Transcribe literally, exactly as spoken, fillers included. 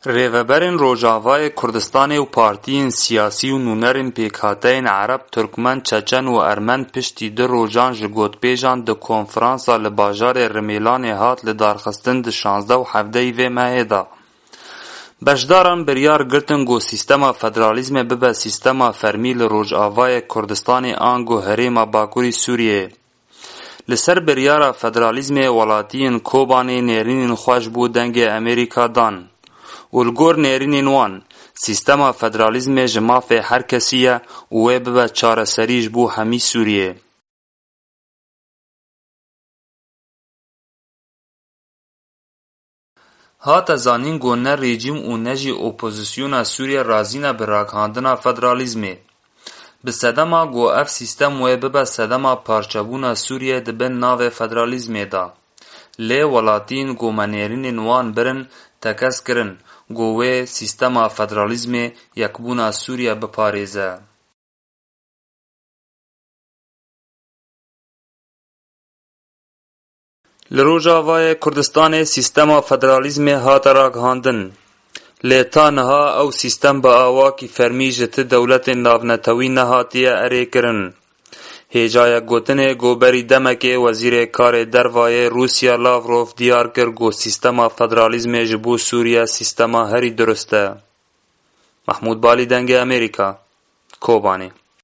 Rêveberên Rojavayê Kurdistanê û partiyên siyasî û nûnerên pêkhateyên Ereb, Turkmen, Çeçen û Ermen piştî du rojan ji gotpêjan di konferansa li bajarê Rimêlanê hat lidarxistin di şazdeh û hevdehî vê mehê de. Beşdaran biryar girtin ku sîstema federalîzmê bibe sîstema fermî li Rojavayê Kurdistanê ango Herêma Bakurî Sûriyeyê. Li ser biryara federalîzmê welatiyên Kobanê nêrînên xwe ji bo Dengê Amerîka dan û li gor nêrînên wan, sîstema federalîzmê ji mafê her kesî ye û wê bibe çareserî ji bo hemî Sûriyê. Hate zanîn ku ne rejîm û ne jî opozisyona Sûriye razî ne bi ragihandina federalîzmê. Bi sedema ku ev sîstem wê bibe sedema parçebûna Sûriye di bin navê federalîzmê de. Lê welatiyên ku me nêrînên wan birin tekez kirin ku wê sîstema federalîzmê yekbûna Sûriye biparêze. Li Rojavayê Kurdistanê sîstema federalîzmê hate ragihandin. Lê ta niha ew sîstem bi awakî fermî ji ti dewletên navnetewî nehatiye erêkirin. Hêjayek gotinê ku berî demekê Wezîrê Karê Dervayê Rûsya Lavrov diyar kir ku sîstema federalîzmê ji bo Sûriye sîstema herî durust e. Mahmûd Balî, Dengê Amerîka, Kobanê.